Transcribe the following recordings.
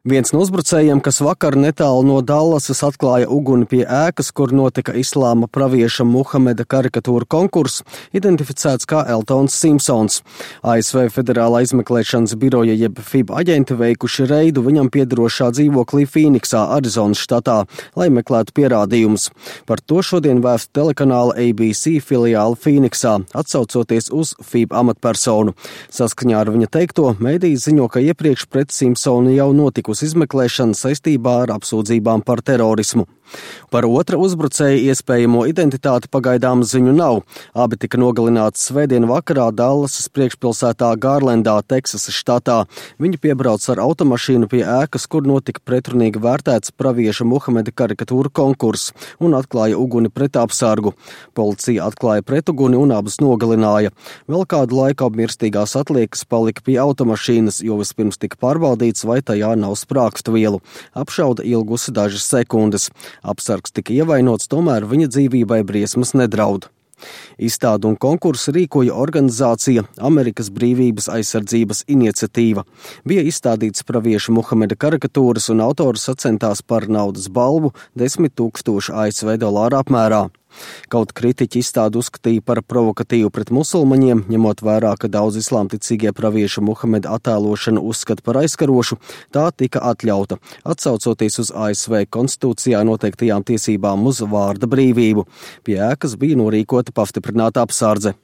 Viens no uzbrucējiem, kas vakar netālu no Dallasas atklāja uguni pie ēkas, kur notika islāma pravieša Muhameda karikatūra konkurss, identificēts kā Eltons Simpsons. ASV Federālā izmeklēšanas biroja jeb FIB aģenti veikuši reidu viņam piederošā dzīvoklī Fīniksā, Arizonas štatā, lai meklētu pierādījumus. Par to šodien vēsta telekanāla ABC filiāla Fīniksā, atsaucoties uz FIB amatpersonu. Saskaņā ar viņa teikto, mēdījis ziņo, ka iepriekš pret Simpsonu jau notikusi izmeklēšana saistībā ar apsūdzībām par terorismu. Par otra uzbrucēja iespējamo identitāti pagaidām ziņu nav. Abi tika nogalināti svētdien vakarā Dallasas priekšpilsētā Gārlendā, Teksasas štatā. Viņi piebrauc ar automašīnu pie ēkas, kur notika pretrunīgi vērtēts pravieša Muhameda karikatūra konkurss un atklāja uguni pret apsargu. Policija atklāja pretuguni un abus nogalināja. Vēl kādu laiku apmirstīgās atliekas palika pie automašīnas, jo vispirms tika pārbaudīts, vai tajā nav sprākstvielu. Apšauda ilgusi dažas sekundes. Apsargs tika ievainots, tomēr viņa dzīvībai briesmas nedraud. Izstādu un konkursu rīkoja organizācija Amerikas Brīvības aizsardzības iniciatīva. Bija izstādīts pravieša Muhameda karikatūras un autors sacentās par naudas balvu 10 000 ASV dolāru apmērā. Kaut kritiķi izstādi uzskatīja par provokatīvu pret musulmaņiem, ņemot vērā, ka daudz islāmticīgie pravieša Muhameda attēlošanu uzskata par aizkarošu, tā tika atļauta, atsaucoties uz ASV konstitūcijā noteiktajām tiesībām uz vārda brīvību. Pie ēkas bija norīkota pastiprināta apsardze.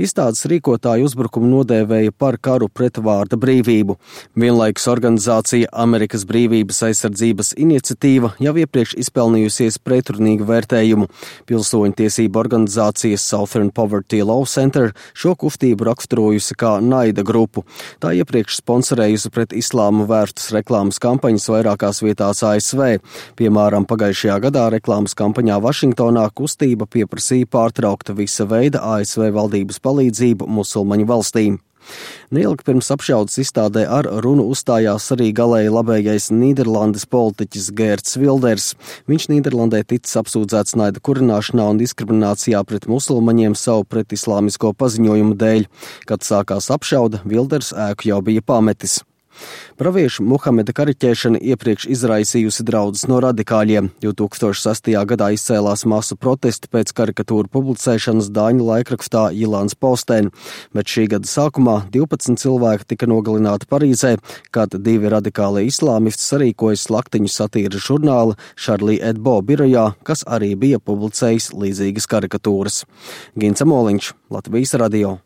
Izstādes rīkotāju uzbrukumu nodēvēja par karu pret vārda brīvību. Vienlaikus organizācija Amerikas Brīvības aizsardzības iniciatīva jau iepriekš izpelnījusies pretrunīgu vērtējumu. Pilsoņu tiesību organizācijas Southern Poverty Law Center šo kustību raksturojusi kā naida grupu. Tā iepriekš sponsorējusi pret islāmu vērstas reklāmas kampaņas vairākās vietās ASV. Piemēram, pagājušajā gadā reklāmas kampaņā Vašingtonā kustība pieprasīja pārtraukt visa veida ASV valdības palīdzību musulmaņu valstīm. Neilgi pirms apšaudas izstādē ar runu uzstājās arī galēji labējais Nīderlandes politiķis Geerts Wilders. Viņš Nīderlandē ticis apsūdzēts naida kurināšanā un diskriminācijā pret musulmaņiem savu pretislāmisko paziņojumu dēļ. Kad sākās apšauda, Wilders ēku jau bija pametis. Pravieša Muhameda kariķēšana iepriekš izraisījusi draudus no radikāļiem. 2006. gadā izcēlās masu protesti pēc karikatūru publicēšanas dāņu laikrakstā Jyllands Posten, bet šī gada sākumā 12 cilvēki tika nogalināti Parīzē, kad divi radikālie islāmisti sarīkoja slaktiņu satīras žurnāla Charlie Hebdo birojā, kas arī bija publicējis līdzīgas karikatūras. Gints Amoliņš, Latvijas radio.